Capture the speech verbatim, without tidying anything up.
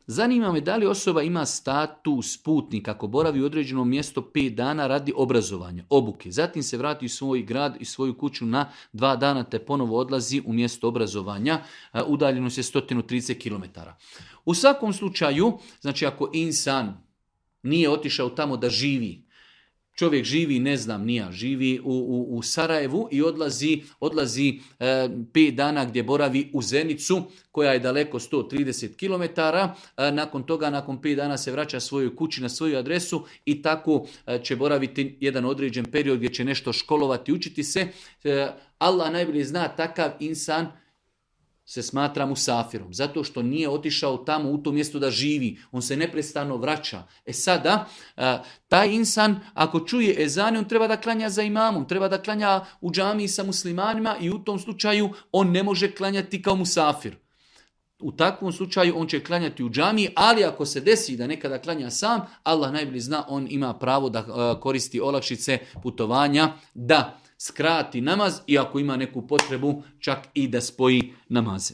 zanima me da li osoba ima status putnik ako boravi u određenom mjestu pet dana radi obrazovanja, obuke. Zatim se vrati u svoj grad i svoju kuću na dva dana te ponovo odlazi u mjesto obrazovanja. Udaljenost je sto trideset kilometara. U svakom slučaju, znači ako insan nije otišao tamo da živi, čovjek živi, ne znam, nija, živi u, u, u Sarajevu i odlazi, odlazi e, pet dana gdje boravi u Zenicu, koja je daleko sto trideset kilometara. E, nakon toga, nakon pet dana se vraća svojoj kući na svoju adresu i tako e, će boraviti jedan određen period gdje će nešto školovati, učiti se. E, Allah najbolje zna, takav insan se smatra musafirom, zato što nije otišao tamo u to mjesto da živi. On se neprestano vraća. E sada, taj insan, ako čuje ezan, on treba da klanja za imamom, treba da klanja u džamiji sa muslimanima i u tom slučaju on ne može klanjati kao musafir. U takvom slučaju on će klanjati u džamiji, ali ako se desi da nekada klanja sam, Allah najbolje zna, on ima pravo da koristi olakšice putovanja, da skrati namaz i ako ima neku potrebu čak i da spoji namaze.